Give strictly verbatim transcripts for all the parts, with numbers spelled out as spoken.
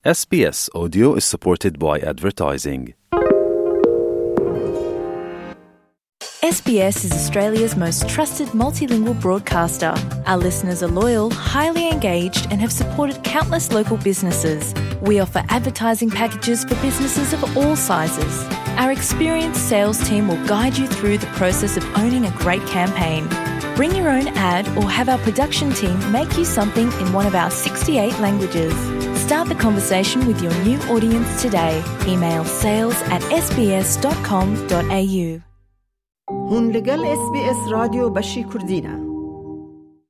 S B S Audio is supported by advertising. S B S is Australia's most trusted multilingual broadcaster. Our listeners are loyal, highly engaged, and have supported countless local businesses. We offer advertising packages for businesses of all sizes. Our experienced sales team will guide you through the process of owning a great campaign. Bring your own ad or have our production team make you something in one of our sixty-eight languages. Start the conversation with your new audience today. Email sales at S B S dot com dot A U. Hûn li gel S B S Radyo Beşî Kurdî ne.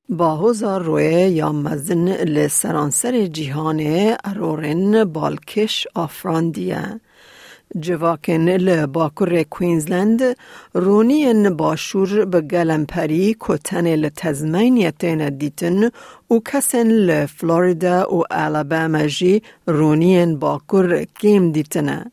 Bahoza royê ya mezin li seranserê cîhanê erorên balkêş afrandiye. Civakên li bakurê Queensland, roniyên başûr bi gelemperî ku tenê li Tasmania têne dîtin û kesên li Florida û Alabama jî roniyên bakur kêm dîtine.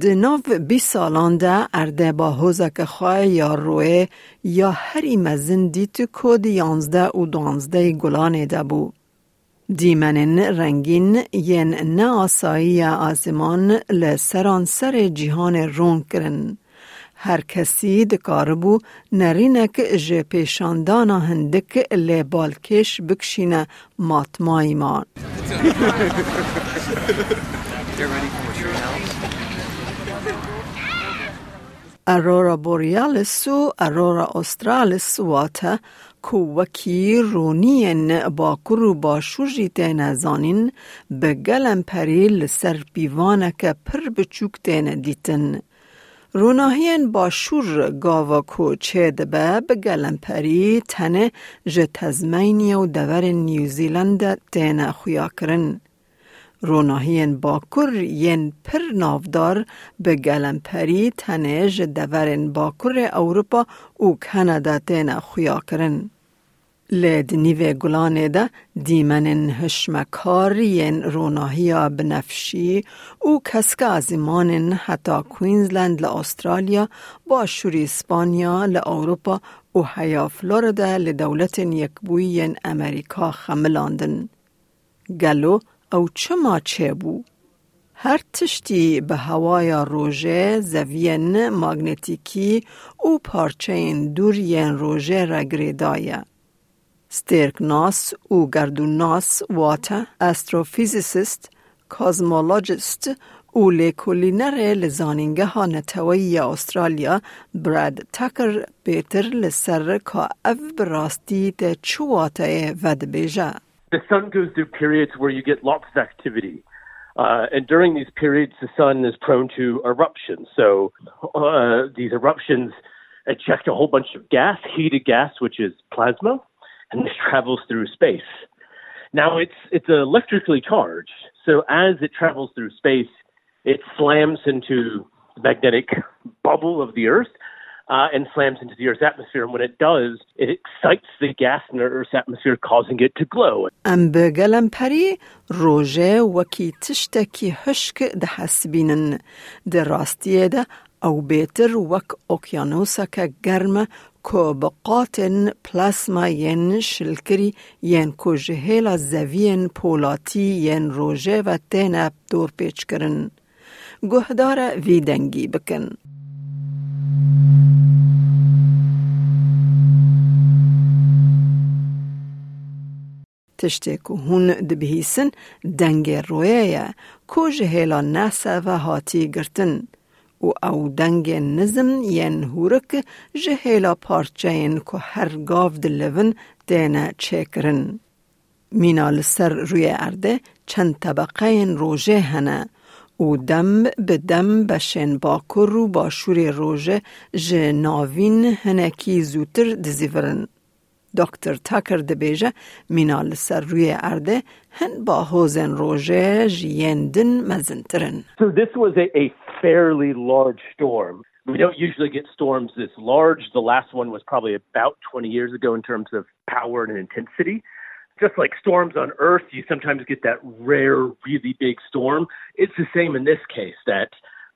Di nav bîst salan de erdê bahozeke xwe ya royê ya herî mezin dît ku di yanzdeh û duwazdehê gulanê de bû. Dîmenên rengîn yên neasayî ya aziman li seranserê cîhanê ron kirin. Her kesî dikaribû nerînek ji pêşandana hindik lê balkêş bikişîne matmayî man. Aurora Borealis û Aurora Australis, wate ku wekî roniyên bakur û başûr jî têne zanîn, bi gelemperî li ser pîvaneke pir biçûk têne dîtin. Ronahiyên başûr gava ku çêdibe bi gelemperî tenê ji Tasmania û deverên New Zealand de têne xuyakirin. Ronahiyên bakur yên pir navdar bi gelemperî tenê ji deverên bakurê Ewropa û Kanada têne xuyakirin. Lê di nîvê gulanê de dîmenên hişmekar yên ronahiya binefşî û keske ezîmanên heta Queensland li Australya, başûrî Spanya li Ewropa û heya Florida li Dewletên Yekbûyî yên Amerîka xemilandin. Gelo ew çima çêbû? Her tiştî bi hewaya rojê, zeviyên magnetîkî û parçeyên dûr yên rojê re girêdaye. Stêrknas û gerdûnnas, wate astrophysicist, cosmologist û lêkolînerê li Zanîngeha Neteweyî ya Australya, Brad Tucker, bêtir li ser ka ev bi rastî tê çi wateyê vedibêje. The sun goes through periods where you get lots of activity. Uh, and during these periods, the sun is prone to eruptions. So uh, these eruptions eject a whole bunch of gas, heated gas, which is plasma, and this travels through space. Now it's it's electrically charged. So as it travels through space, it slams into the magnetic bubble of the Earth uh, and slams into the Earth's atmosphere. And when it does, it excites the gas in the Earth's atmosphere, causing it to glow. Em bi gelemperî rojê wekî tiştekî hişk dihesibînin. Di rastiyê de ew bêtir wek okyanuseke germ e ku bi qatên plasma yên şilkirî yên ku ji hêla zeviyên polatî yên rojê ve têne dorpêçkirin. Guhdar e vî dengî bikin. Tiştê ku hûn dibihîsin dengê royê ye ku ji hêla NASA ve hatî girtin û ew dengên nizm yên hûrik ji hêla parçeyên ku her gav dilivin têne çêkirin. Mîna li ser rûyê erdê çend tebeqeyên rojê hene û dem bi dem beşên bakur û başûrê rojê ji navîn hinekî zûtir dizîvirin. Doktor Tucker dibêje, mîna li ser rûyê erdê hin bahozên rojê ji yên din mezintir in. So this was a, a fairly large storm. We don't usually get storms this large. The last one was probably about twenty years ago in terms of power and intensity. Just like storms on Earth, you sometimes get that rare, really big storm. It's the same in this case, that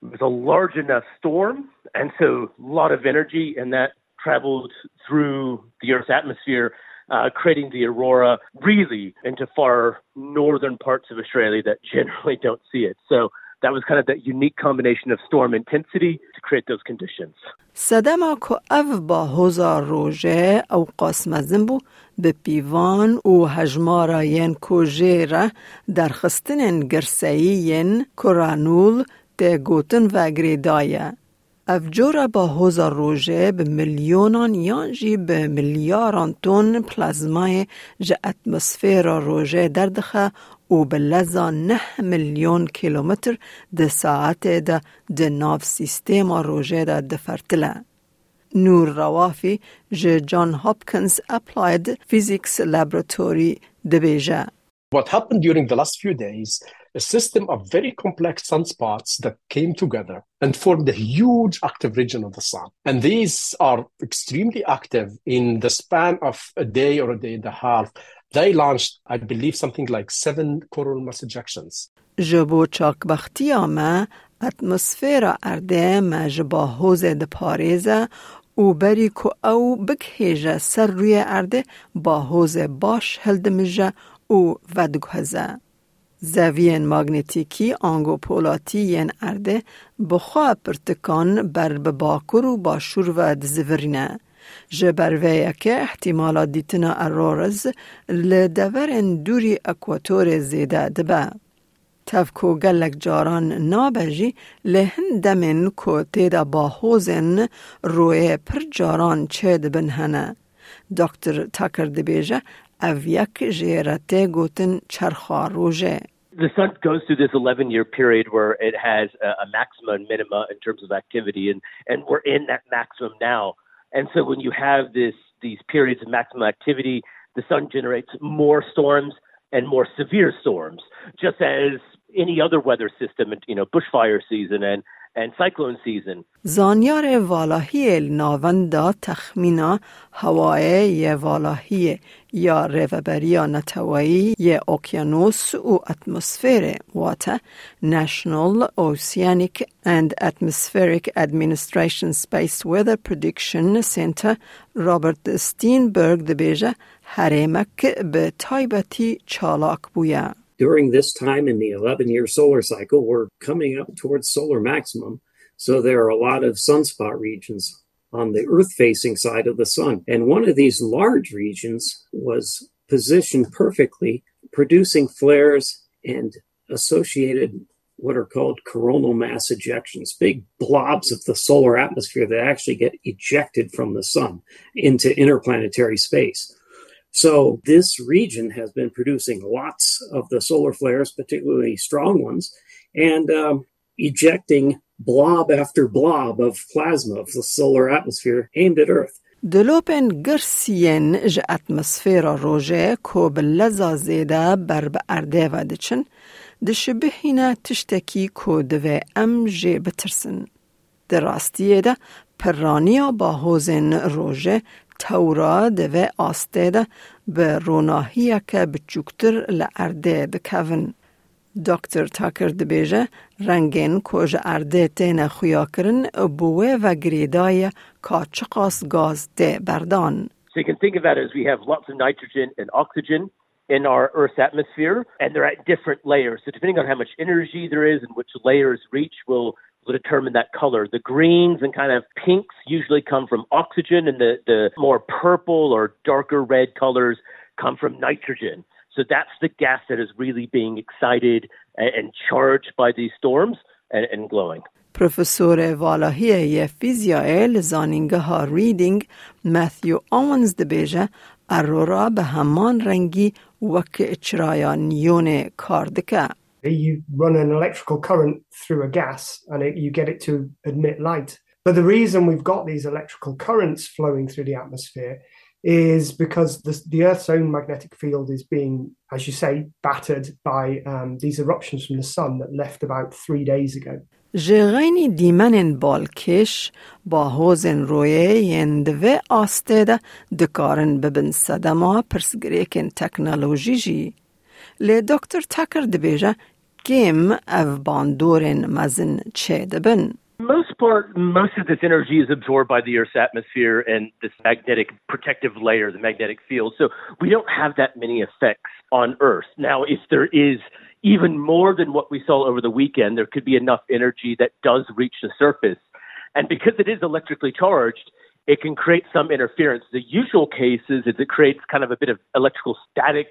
it was a large enough storm, and so a lot of energy, and that traveled through the Earth's atmosphere uh, creating the aurora really into far northern parts of Australia that generally don't see it. So that was kind of that unique combination of storm intensity to create those conditions. Sedema ku ev bahoza roje ew qas mezin bû, bi pîvan û hejmara yên ku jê re derxistinên girseyî yên koronal tê gotin ve girêdaye. Ev cora bahoza roje bi milyonan yan jî bi milyaran ton plazmayê ji atmosfera roje derdixe û bi leza neh milyon kilometr di saetê de di nav sîstema roje de difertile. Nur Rawafî ji John Hopkins Applied Physics Laboratory dibêje. What happened during the last few days, a system of very complex sunspots that came together and formed a huge active region of the sun. And these are extremely active. In the span of a day or a day and a half, they launched, I believe, something like seven coronal mass ejections. Ji bo çakbextiya me, atmosfera erdê me ji bahozê diparêze û berî ku ew bigihêje ser rûyê erdê, bahozê baş hildimije û vediguheze. Zeviyên magnetîkî ango polatî yên erdê bi xwe pirtikan ber bi bakur û başûr ve dizivirîne. Ji ber vê yekê ihtimala dîtina auroras li deverên dûrî ekwatorê zêde dibe. Tev ku gelek caran nabe jî, lê hin demên ku tê de bahozên royê pir caran çêdibin hene. Doktor Tucker dibêje, ev yek jê re tê gotin çerxa rojê. The sun goes through this eleven year period where it has a, a maxima and minima in terms of activity, and, and we're in that maximum now. And so when you have this these periods of maximum activity, the sun generates more storms and more severe storms, just as any other weather system, you know, bushfire season and, and cyclone season. Zanyarê valahiyê li navenda texmîna hewayê yê valahiyê ya Rêveberiya Neteweyî yê Okyanus û Atmosferê, wate National Oceanic and Atmospheric Administration Space Weather Prediction Center, Robert Steenberg dibêje, herêmek bi taybetî çalak bûye. During this time in the eleven year solar cycle, we're coming up towards solar maximum. So there are a lot of sunspot regions on the Earth facing side of the sun. And one of these large regions was positioned perfectly, producing flares and associated what are called coronal mass ejections, big blobs of the solar atmosphere that actually get ejected from the sun into interplanetary space. So this region has been producing lots of the solar flares, particularly strong ones, and um, ejecting blob after blob of plasma of the solar atmosphere aimed at Earth. Dilopên girs yên ji atmosfera rojê ku bi leza zêde ber bi erdê ve diçin, dişibihîne tiştekî ku divê em jê bitirsin. Di rastiyê de pirraniya bahozên rojê tewra di vê astê de bi ronahiyeke biçûktir li erdê dikevin. Doktor Tucker dibêje, rengên ku ji erdê têne xuyakirin bi wê ve girêdaye ka çiqas gaz tê berdan. So you can think of that as we have lots of nitrogen and oxygen in our Earth's atmosphere, and they're at different layers. So depending on how much energy there is and which layers reach will, will determine that color. The greens and kind of pinks usually come from oxygen, and the, the more purple or darker red colors come from nitrogen. So that's the gas that is really being excited and, and charged by these storms and, and glowing. Profesorê valahiyê yê fîzyayê li zanîngeha Reading, Matthew Owens dibêje, aurora bi heman rengî wek çiraya niyonê kar dike. You run an electrical current through a gas and it, you get it to emit light. But the reason we've got these electrical currents flowing through the atmosphere is because the, the Earth's own magnetic field is being, as you say, battered by um, these eruptions from the sun that left about three days ago. Ji xeynî dîmenên balkêş, bahozên royê yên di vê astê de dikarin bibin sedema pirsgirêkên teknolojî jî. Lê Doktor Tucker dibêje, kêm ev bandorên mezin çêdibin. Most part, most of this energy is absorbed by the Earth's atmosphere and this magnetic protective layer, the magnetic field. So we don't have that many effects on Earth. Now, if there is even more than what we saw over the weekend, there could be enough energy that does reach the surface. And because it is electrically charged, it can create some interference. The usual case is, is it creates kind of a bit of electrical static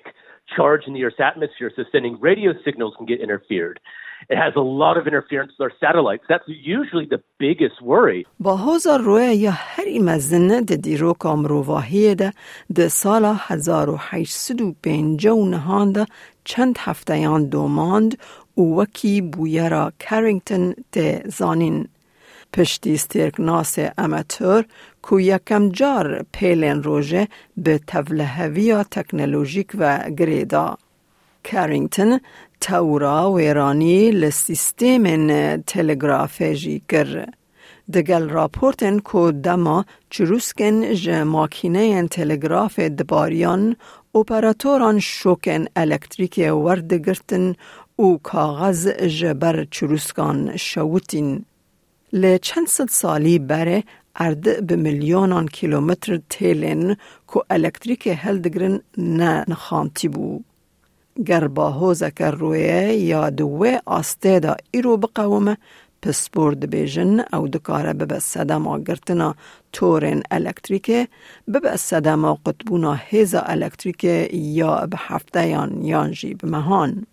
charge in the Earth's atmosphere, so sending radio signals can get interfered. It has a lot of interference with our satellites. That's usually the biggest worry. Bahoza roya ya herî mezin di dîroka mirovahiyê de di sala hezar û heşt sed û pêncî û nehan de çend hefteyan domand û wekî bûyera Carrington tê zanîn. Piştî stêrknasê amator ku yekem car pêlên rojê bi tevliheviya teknolojîk ve girê da. Carrington tewra wêranî li sîstemên telegrafê jî kir. Digel raportên ku dema çirûskên ji makîneyên telegrafê dibariyan, operatoran şokên elektrîkê werdigirtin û kaxez ji ber çirûskan şewitîn. Li çend sed salî berê erd bi milyonan kîlometr têlên ku elektrîkê hildigirin ne nixantî bû. Ger bahozeke royê ya di wê astê de îro biqewime, pispor dibêjin ew dikare bibe sedema girtina torên elektrîkê, bibe sedema qutbûna hêza elektrîkê ya bi hefteyan yan jî bi mehan.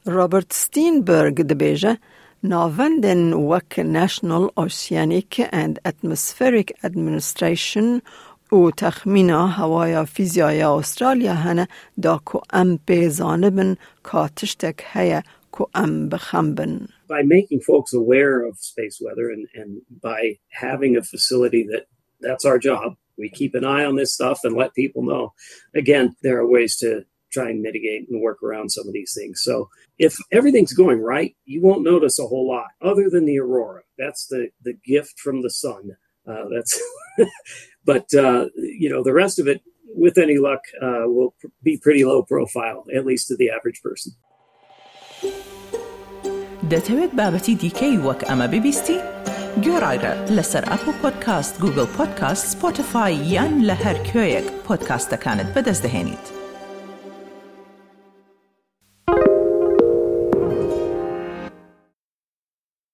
Robert Steenberg dibêje, navendên wek National Oceanic and Atmospheric Administration û texmîna hewaya fîzyaya Australya hene da ku em pê zanibin ka tiştek heye ku em bi xem bin. By making folks aware of space weather and, and by having a facility that that's our job, we keep an eye on this stuff and let people know. Again, there are ways to try and mitigate and work around some of these things. So if everything's going right, you won't notice a whole lot other than the aurora. That's the, the gift from the sun. Uh, that's, but uh, you know, the rest of it, with any luck, uh, will pr- be pretty low profile, at least to the average person. دەتەوێت بابەتی دیکەی وەک ئەمە ببیستی؟ گوێڕایرە لەسەر ئەپڵ پۆدکاست، گوگڵ پۆدکاست، سپۆتیفای یان لە هەر کوێیەک پۆدکاستەکانت بەدەست دەهێنیت.